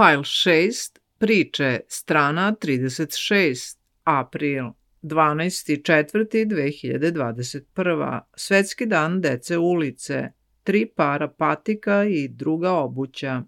Fajl 6, priče, strana 36, april, 12.4.2021. Svetski dan dece ulice, 3 para patika i druga obuća.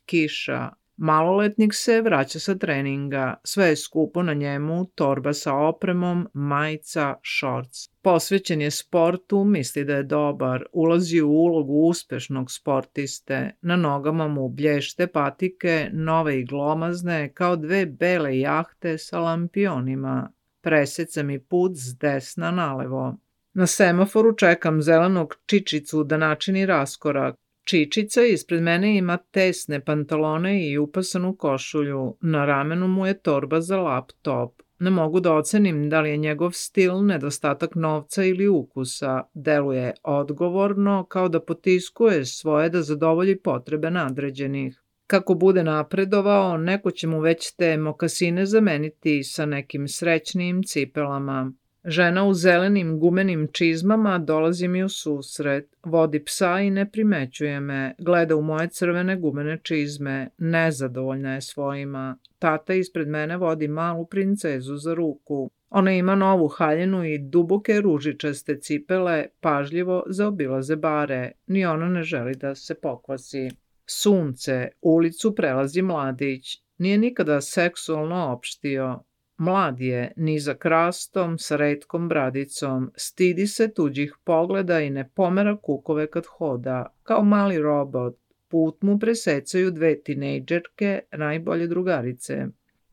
Kiša. Maloletnik se vraća sa treninga, sve je skupo na njemu, torba sa opremom, majica, šorc. Posvećen je sportu, misli da je dobar, ulazi u ulogu uspešnog sportiste, na nogama mu blješte patike, nove i glomazne, kao 2 bele jahte sa lampionima. Preseca mi put s desna nalevo. Na semaforu čekam zelenog čičicu da načini raskorak. Čičica ispred mene ima tesne pantalone i upasanu košulju. Na ramenu mu je torba za laptop. Ne mogu da ocenim da li je njegov stil nedostatak novca ili ukusa. Deluje odgovorno, kao da potiskuje svoje da zadovolji potrebe nadređenih. Kako bude napredovao, neko će mu već te mokasine zameniti sa nekim srećnijim cipelama. Žena u zelenim gumenim čizmama dolazi mi u susret, vodi psa i ne primećuje me, gleda u moje crvene gumene čizme, nezadovoljna je svojima. Tata ispred mene vodi malu princezu za ruku. Ona ima novu haljinu i duboke ružičaste cipele, pažljivo zaobilaze bare, ni ona ne želi da se pokvasi. Sunce, ulicu prelazi mladić, nije nikada seksualno opštio. Mlad je, nizak rastom, sa retkom bradicom, stidi se tuđih pogleda i ne pomera kukove kad hoda, kao mali robot. Put mu presecaju 2 tinejdžerke, najbolje drugarice.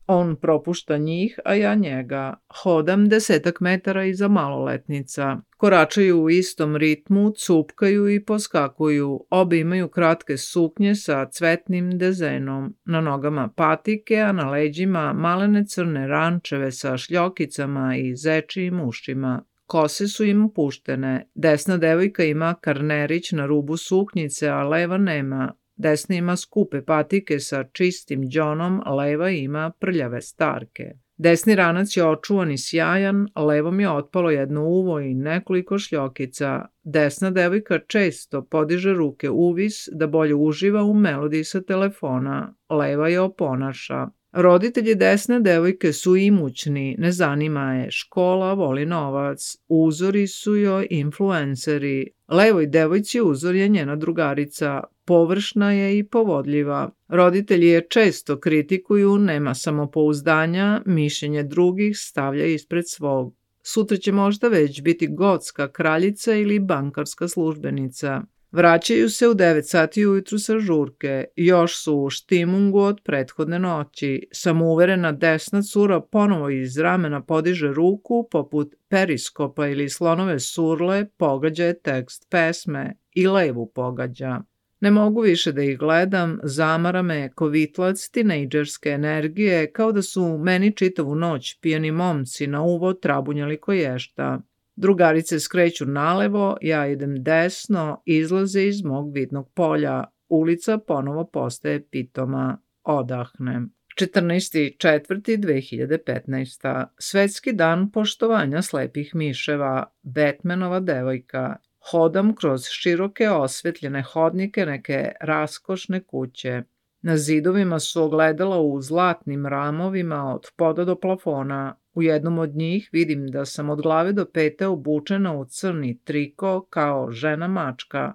On propušta njih, a ja njega. Hodam 10 metara iza maloletnica. Koračaju u istom ritmu, cupkaju i poskakuju. Obe imaju kratke suknje sa cvetnim dezenom. Na nogama patike, a na leđima malene crne rančeve sa šljokicama i zečijim ušima. Kose su im puštene. Desna devojka ima karnerić na rubu suknjice, a leva nema. Desna ima skupe patike sa čistim đonom, leva ima prljave starke. Desni ranac je očuvan i sjajan, levom je otpalo jedno uvo i nekoliko šljokica. Desna devojka često podiže ruke uvis da bolje uživa u melodiji sa telefona, leva je oponaša. Roditelji desne devojke su imućni, ne zanima je, škola voli novac, uzori su joj influenceri. Levoj devojci uzor je njena drugarica, površna je i povodljiva. Roditelji je često kritikuju, nema samopouzdanja, mišljenje drugih stavlja ispred svog. Sutra će možda već biti gotska kraljica ili bankarska službenica. Vraćaju se u 9 sati ujutru sa žurke, još su u štimungu od prethodne noći. Samouverena desna cura ponovo iz ramena podiže ruku, poput periskopa ili slonove surle, pogađa je tekst pesme i levu pogađa. Ne mogu više da ih gledam, zamara me kovitlac tinejdžerske energije, kao da su meni čitavu noć pijani momci na uvo trabunjali koješta. Drugarice skreću nalevo, ja idem desno, izlaze iz mog vidnog polja. Ulica ponovo postaje pitoma. Odahnem. 14.4.2015. Svetski dan poštovanja slepih miševa. Batmanova devojka. Hodam kroz široke osvetljene hodnike neke raskošne kuće. Na zidovima su ogledala u zlatnim ramovima od poda do plafona. U jednom od njih vidim da sam od glave do pete obučena u crni triko kao žena mačka.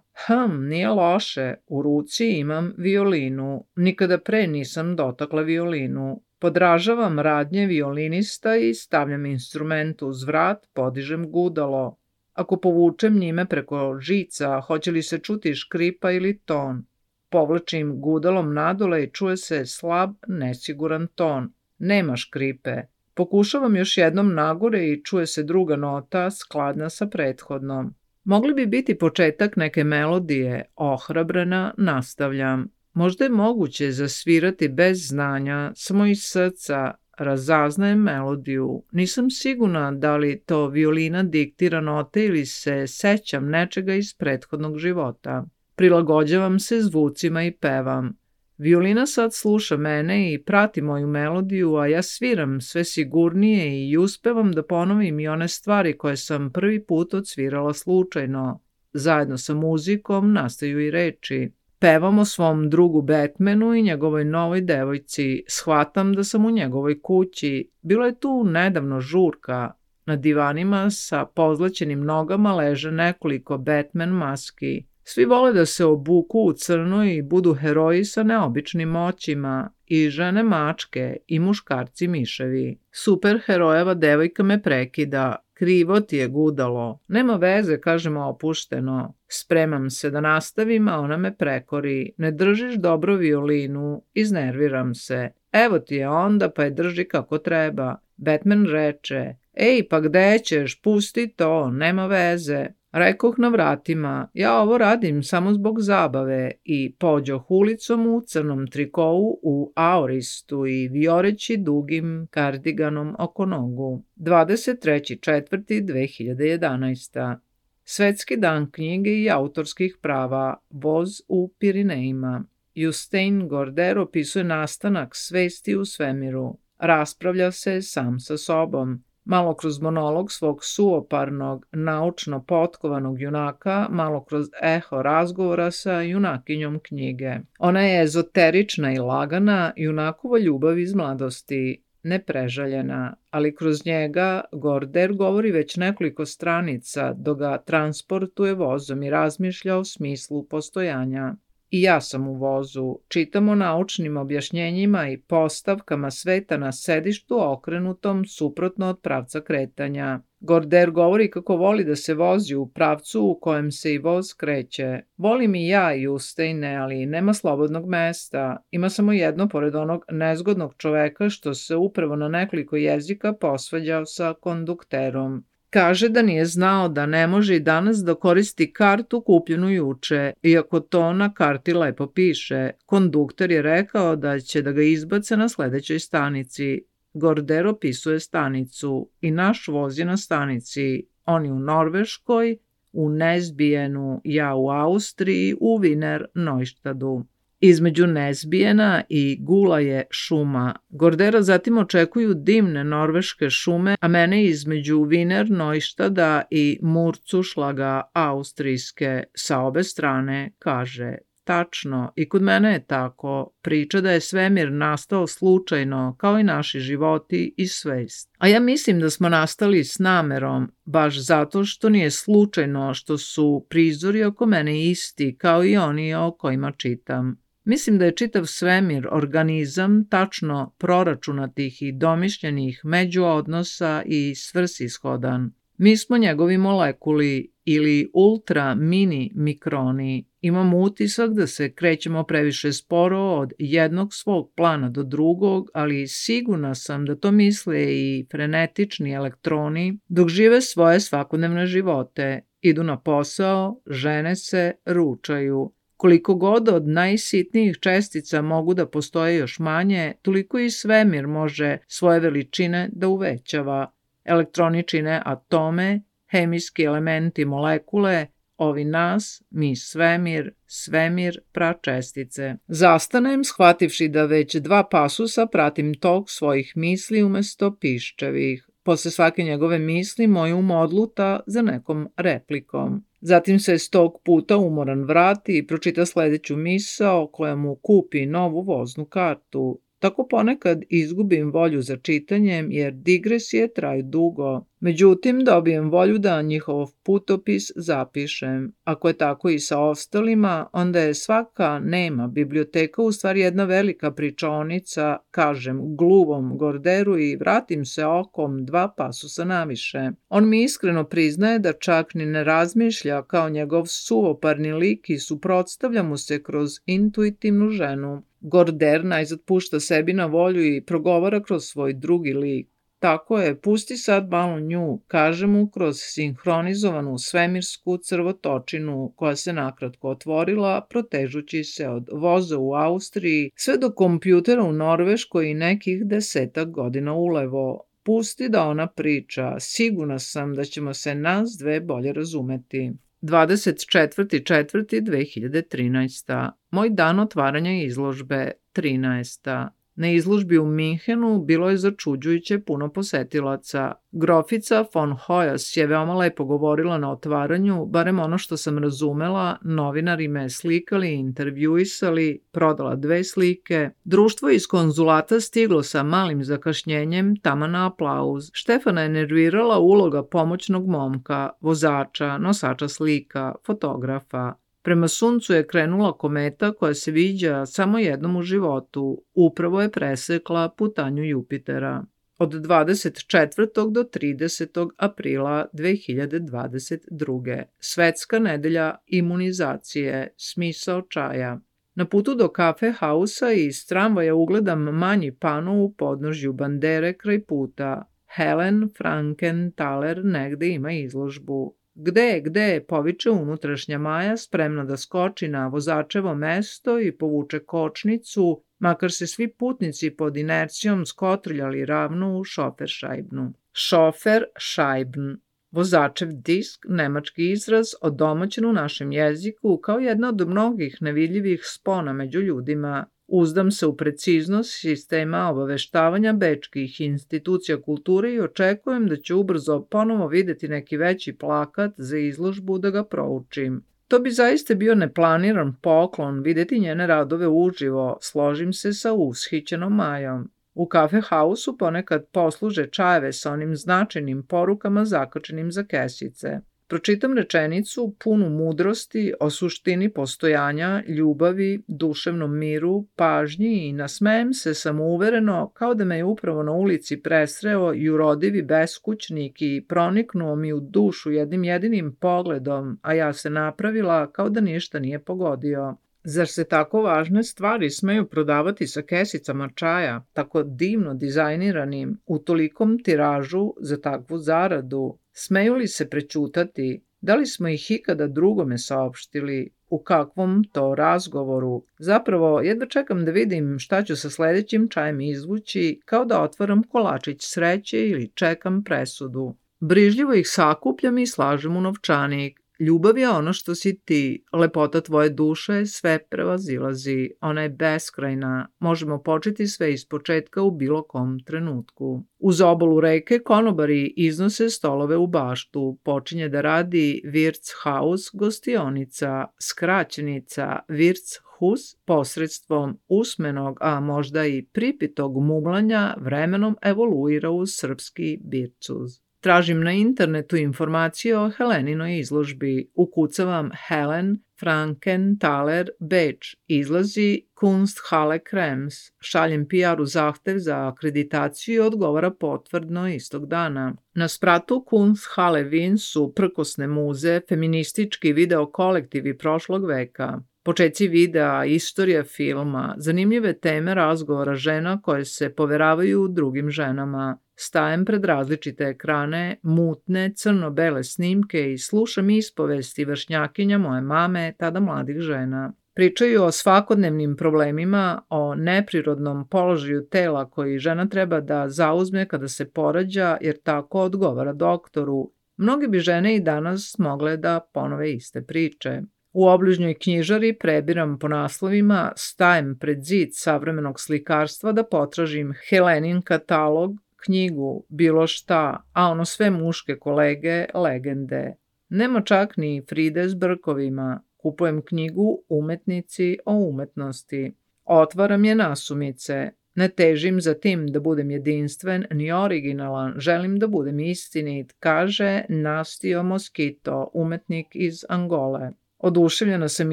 Nije loše, u ruci imam violinu. Nikada pre nisam dotakla violinu. Podražavam radnje violinista i stavljam instrument uz vrat, podižem gudalo. Ako povučem njime preko žica, hoće li se čuti škripa ili ton? Povlačim gudalom nadole i čuje se slab, nesiguran ton. Nema škripe. Pokušavam još jednom nagore i čuje se druga nota, skladna sa prethodnom. Mogli bi biti početak neke melodije, ohrabrena, nastavljam. Možda je moguće zasvirati bez znanja, samo iz srca, razaznajem melodiju. Nisam sigurna da li to violina diktira note ili se sećam nečega iz prethodnog života. Prilagođavam se zvucima i pevam. Violina sad sluša mene i prati moju melodiju, a ja sviram sve sigurnije i uspevam da ponovim i one stvari koje sam prvi put odsvirala slučajno. Zajedno sa muzikom nastaju i reči. Pevam o svom drugu Batmanu i njegovoj novoj devojci. Shvatam da sam u njegovoj kući. Bilo je tu nedavno žurka. Na divanima sa pozlaćenim nogama leže nekoliko Batman maski. Svi vole da se obuku u crno i budu heroji sa neobičnim moćima, i žene mačke i muškarci miševi. Superherojeva devojka me prekida. Krivo ti je, gudalo. Nema veze, kažemo opušteno. Spremam se da nastavim, a ona me prekori. Ne držiš dobro violinu, iznerviram se. Evo ti je onda, pa je drži kako treba. Batman reče: Ej, pa gde ćeš, pusti to, nema veze. Rekoh na vratima: ja ovo radim samo zbog zabave, i pođoh ulicom u crnom trikovu u aoristu i vioreći dugim kardiganom oko nogu. 23.4.2011. Svetski dan knjige i autorskih prava, voz u Pirinejima. Justin Gorder opisuje nastanak svesti u svemiru. Raspravlja se sam sa sobom. Malo kroz monolog svog suoparnog, naučno potkovanog junaka, malo kroz eho razgovora sa junakinjom knjige. Ona je ezoterična i lagana, junakova ljubav iz mladosti, neprežaljena, ali kroz njega Gorder govori već nekoliko stranica dok ga transportuje vozom i razmišlja o smislu postojanja. I ja sam u vozu, čitam o naučnim objašnjenjima i postavkama sveta na sedištu okrenutom suprotno od pravca kretanja. Gorder govori kako voli da se vozi u pravcu u kojem se i voz kreće. Volim i ja Justeine, ali nema slobodnog mesta. Ima samo jedno pored onog nezgodnog čoveka što se upravo na nekoliko jezika posvađao sa kondukterom. Kaže da nije znao da ne može i danas da koristi kartu kupljenu juče, iako to na karti lepo piše. Kondukter je rekao da će da ga izbace na sledećoj stanici. Gorder opisuje stanicu i naš voz je na stanici. On je u Norveškoj, u Nesbijenu, ja u Austriji, u Wiener Neustadu. Između Nesbijena i Gula je šuma. Gordera zatim očekuju dimne norveške šume, a mene između Wiener Neustada i Murcušlaga austrijske sa obe strane, kaže: tačno, i kod mene je tako. Priča da je svemir nastao slučajno, kao i naši životi i svest. A ja mislim da smo nastali s namerom, baš zato što nije slučajno što su prizori oko mene isti, kao i oni o kojima čitam. Mislim da je čitav svemir organizam tačno proračunatih i domišljenih međuodnosa i svrsishodan. Mi smo njegovi molekuli ili ultra mini mikroni. Imamo utisak da se krećemo previše sporo od jednog svog plana do drugog, ali sigurna sam da to misle i frenetični elektroni dok žive svoje svakodnevne živote. Idu na posao, žene se, ručaju. Koliko god od najsitnijih čestica mogu da postoje još manje, toliko i svemir može svoje veličine da uvećava. Elektroni čine atome, hemijski elementi molekule, ovi nas, mi svemir, svemir pračestice. Zastanem, shvativši da već 2 pasusa pratim tok svojih misli umesto piščevih. Posle svake njegove misli moj um odluta za nekom replikom. Zatim se 100 puta umoran vrati i pročita sledeću misao koja mu kupi novu voznu kartu. Tako ponekad izgubim volju za čitanjem jer digresije traju dugo. Međutim, dobijem volju da njihov putopis zapišem. Ako je tako i sa ostalima, onda je svaka nema biblioteka u stvari jedna velika pričaonica, kažem gluvom Gorderu i vratim se okom 2 pasusa naviše. On mi iskreno priznaje da čak ni ne razmišlja kao njegov suvoparni lik i suprotstavlja mu se kroz intuitivnu ženu. Gorder najzad pušta sebi na volju i progovara kroz svoj drugi lik. Tako je, pusti sad malo nju, kaže mu kroz sinhronizovanu svemirsku crvotočinu koja se nakratko otvorila, protežući se od voza u Austriji sve do kompjutera u Norveškoj i nekih 10 godina ulevo. Pusti da ona priča, sigurna sam da ćemo se nas dve bolje razumeti. 24.4.2013. Moj dan otvaranja izložbe, 13. Na izložbi u Minhenu bilo je začuđujuće puno posetilaca. Grofica von Hoyas je veoma lepo govorila na otvaranju, barem ono što sam razumela, novinari me slikali, intervjuisali, prodala 2 slike. Društvo iz konzulata stiglo sa malim zakašnjenjem, taman na aplauz. Štefana je nervirala uloga pomoćnog momka, vozača, nosača slika, fotografa. Prema suncu je krenula kometa koja se viđa samo jednom u životu. Upravo je presekla putanju Jupitera. Od 24. do 30. aprila 2022. Svetska nedelja imunizacije, smisao čaja. Na putu do kafe hausa iz tramvaja ugledam manji pano u podnožju bandere kraj puta. Helen Frankenthaler negde ima izložbu. Gde, poviče unutrašnja Maja, spremna da skoči na vozačevo mesto i povuče kočnicu, makar se svi putnici pod inercijom skotrljali ravno u šoferšajbnu. Šoferšajbn, vozačev disk, nemački izraz, odomaćen u našem jeziku kao jedna od mnogih nevidljivih spona među ljudima. Uzdam se u preciznost sistema obaveštavanja bečkih institucija kulture i očekujem da ću ubrzo ponovo videti neki veći plakat za izložbu da ga proučim. To bi zaista bio neplaniran poklon videti njene radove uživo, složim se sa ushićenom Majom. U kafe hausu ponekad posluže čajeve sa onim značajnim porukama zakačenim za kesice. Pročitam rečenicu punu mudrosti o suštini postojanja, ljubavi, duševnom miru, pažnji i nasmejem se samouvereno kao da me je upravo na ulici presreo jurodivi beskućnik i proniknuo mi u dušu jednim jedinim pogledom, a ja se napravila kao da ništa nije pogodio. Zar se tako važne stvari smeju prodavati sa kesicama čaja, tako divno dizajniranim, u tolikom tiražu za takvu zaradu? Smeju li se prećutati? Da li smo ih ikada drugome saopštili? U kakvom to razgovoru? Zapravo, jedva čekam da vidim šta ću sa sledećim čajem izvući, kao da otvaram kolačić sreće ili čekam presudu. Brižljivo ih sakupljam i slažem u novčanik. Ljubav je ono što si ti, lepota tvoje duše sve prevazilazi, ona je beskrajna, možemo početi sve ispočetka u bilo kom trenutku. Uz obalu reke konobari iznose stolove u baštu, počinje da radi Wirtshaus gostionica, skraćenica Wirtshus posredstvom usmenog, a možda i pripitog muglanja vremenom evoluira u srpski Bircuz. Tražim na internetu informacije o Heleninoj izložbi. Ukucavam Helen Frankenthaler Beč. Izlazi Kunsthalle Krems. Šaljem PR-u zahtev za akreditaciju i odgovara potvrdno istog dana. Na spratu Kunsthalle Wien su prkosne muze, feministički video kolektivi prošlog veka. Počeci videa, istorija filma, zanimljive teme razgovora žena koje se poveravaju drugim ženama. Stajem pred različite ekrane, mutne, crno-bele snimke i slušam ispovesti vršnjakinja moje mame, tada mladih žena. Pričaju o svakodnevnim problemima, o neprirodnom položaju tela koji žena treba da zauzme kada se porađa, jer tako odgovara doktoru. Mnoge bi žene i danas mogle da ponove iste priče. U obližnjoj knjižari prebiram po naslovima, stajem pred zid savremenog slikarstva da potražim Helenin katalog, knjigu, bilo šta, a ono sve muške kolege, legende. Nema čak ni Fride s brkovima. Kupujem knjigu Umetnici o umetnosti. Otvaram je nasumice. Ne težim za tim da budem jedinstven ni originalan, želim da budem istinit, kaže Nastio Moskito, umetnik iz Angole. Oduševljena sam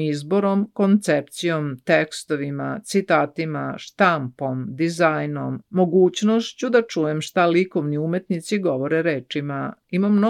izborom, koncepcijom, tekstovima, citatima, štampom, dizajnom, mogućnošću da čujem šta likovni umetnici govore rečima. Imam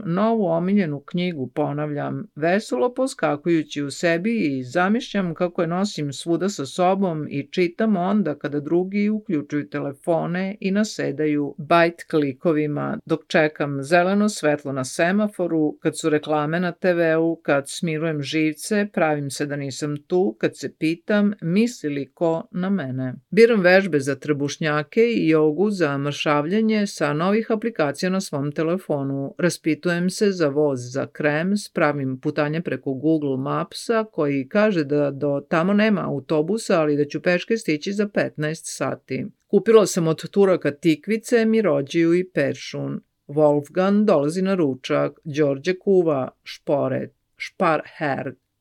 novu omiljenu knjigu, ponavljam, veselo poskakujući u sebi i zamišljam kako je nosim svuda sa sobom i čitam onda kada drugi uključuju telefone i nasedaju bajt klikovima dok čekam zeleno svetlo na semaforu kad su reklame na RTV-u, kad smirujem živce, pravim se da nisam tu, kad se pitam misli li ko na mene. Biram vežbe za trbušnjake i jogu za mršavljanje sa novih aplikacija na svom telefonu. Raspitujem se za voz za Krems, pravim putanje preko Google Mapsa koji kaže da do tamo nema autobusa, ali da ću peške stići za 15 sati. Kupila sam od Turaka tikvice, mirođiju i peršun. Wolfgang dolazi na ručak, Đorđe kuva šporet,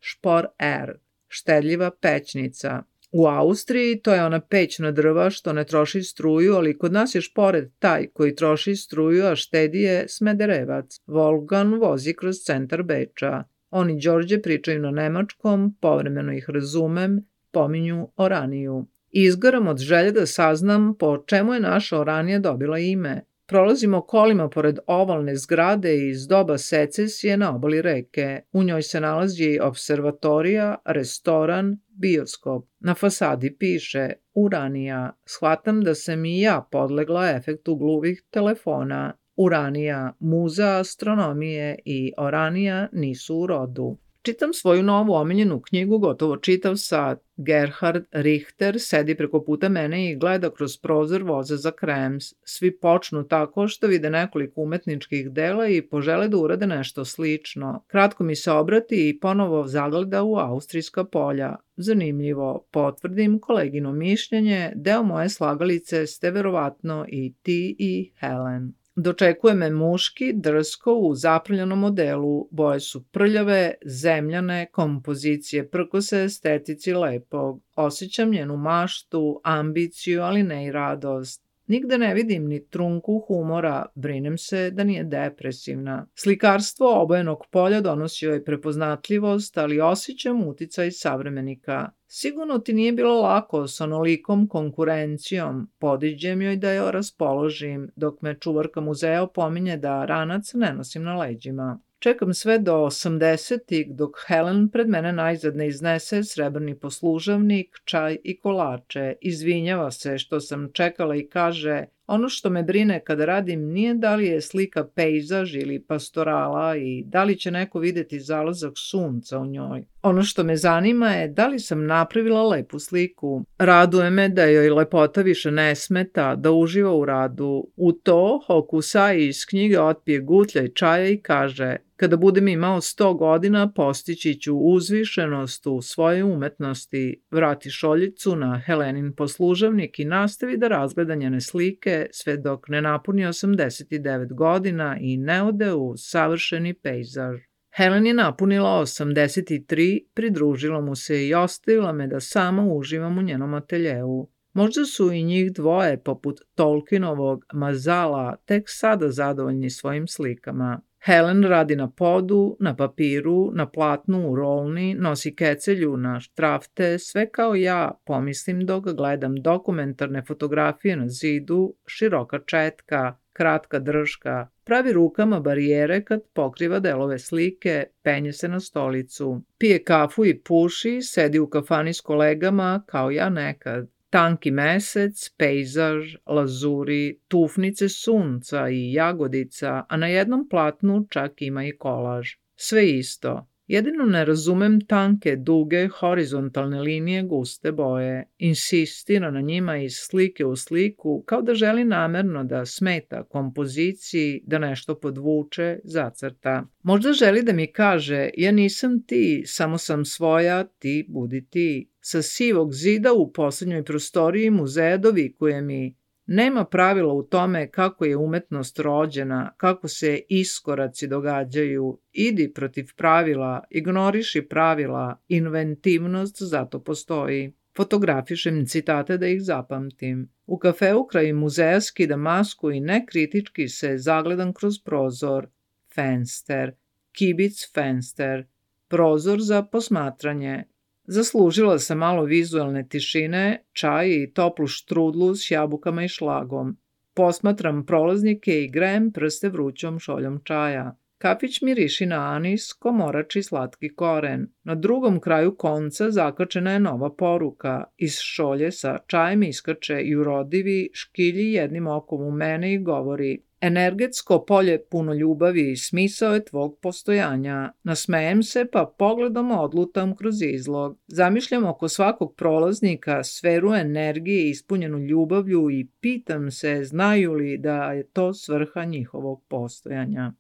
špor-er, štedljiva pećnica. U Austriji to je ona peć na drva što ne troši struju, ali kod nas je šporet taj koji troši struju, a štedi je Smederevac. Wolfgang vozi kroz centar Beča. On i Đorđe pričaju na nemačkom, povremeno ih razumem, pominju Oraniju. Izgaram od želje da saznam po čemu je naša Oranija dobila ime. Prolazimo kolima pored ovalne zgrade iz doba secesije na obali reke. U njoj se nalazi observatorija, restoran, bioskop. Na fasadi piše Uranija. Shvatam da sam i ja podlegla efektu gluvih telefona. Uranija, muza astronomije i Oranija nisu u rodu. Čitam svoju novu omiljenu knjigu gotovo čitav sat. Gerhard Richter sedi preko puta mene i gleda kroz prozor voza za Krems. Svi počnu tako što vide nekoliko umetničkih dela i požele da urade nešto slično. Kratko mi se obrati i ponovo zagleda u austrijska polja. Zanimljivo, potvrdim kolegino mišljenje, deo moje slagalice ste verovatno i ti i Helen. Dočekuje me muški, drsko, u zaprljanom modelu, boje su prljave, zemljane, kompozicije prkose, estetici lepog. Osjećam njenu maštu, ambiciju, ali ne i radost. Nigde ne vidim ni trunku humora, brinem se da nije depresivna. Slikarstvo obojenog polja donosi joj prepoznatljivost, ali osjećam uticaj savremenika. Sigurno ti nije bilo lako s onolikom konkurencijom, podiđem joj da je raspoložim, dok me čuvarka muzeja opominje da ranac ne nosim na leđima. Čekam sve do 80-ih dok Helen pred mene najzad ne iznese srebrni poslužavnik, čaj i kolače. Izvinjava se što sam čekala i kaže, ono što me brine kada radim nije da li je slika pejzaž ili pastorala i da li će neko videti zalazak sunca u njoj. Ono što me zanima je da li sam napravila lepu sliku. Raduje me da joj lepota više ne smeta, da uživa u radu. U to Hokusai iz knjige otpije gutljaj čaja i kaže, kada budem imao 100 godina postići ću uzvišenost u svojoj umetnosti. Vrati šoljicu na Helenin poslužavnik i nastavi da razgleda njene slike sve dok ne napuni 89 godina i ne ode u savršeni pejzaž. Helen je napunila 83, pridružila mu se i ostavila me da sama uživam u njenom ateljeu. Možda su i njih dvoje, poput Tolkienovog Mazala, tek sada zadovoljni svojim slikama. Helen radi na podu, na papiru, na platnu u rolni, nosi kecelju na štrafte, sve kao ja, pomislim dok gledam dokumentarne fotografije na zidu, široka četka, kratka držka, pravi rukama barijere kad pokriva delove slike, penje se na stolicu. Pije kafu i puši, sedi u kafani s kolegama kao ja nekad. Tanki mesec, pejzaž, lazuri, tufnice sunca i jagodica, a na jednom platnu čak ima i kolaž. Sve isto. Jedino ne razumem tanke, duge, horizontalne linije, guste boje. Insistira na njima iz slike u sliku, kao da želi namerno da smeta kompoziciji, da nešto podvuče, zacrta. Možda želi da mi kaže, ja nisam ti, samo sam svoja, ti budi ti. Sa sivog zida u poslednjoj prostoriji muzeja dovikuje mi, nema pravila u tome kako je umetnost rođena, kako se iskoraci događaju, idi protiv pravila, ignoriši pravila, inventivnost zato postoji. Fotografišem citate da ih zapamtim. U kafeu kraj muzeja skidam masku i nekritički se zagledam kroz prozor. Fenster, kibic fenster, prozor za posmatranje. Zaslužila sam malo vizualne tišine, čaj i toplu štrudlu s jabukama i šlagom. Posmatram prolaznike i grejem prste vrućom šoljom čaja. Kafić miriši na anis, komorač i slatki koren. Na drugom kraju konca zakačena je nova poruka. Iz šolje sa čajem iskače jurodivi, škilji jednim okom u mene i govori Energetsko polje puno ljubavi i smisao je tvog postojanja. Nasmejem se pa pogledom odlutam kroz izlog. Zamišljam oko svakog prolaznika sferu energije ispunjenu ljubavlju i pitam se znaju li da je to svrha njihovog postojanja.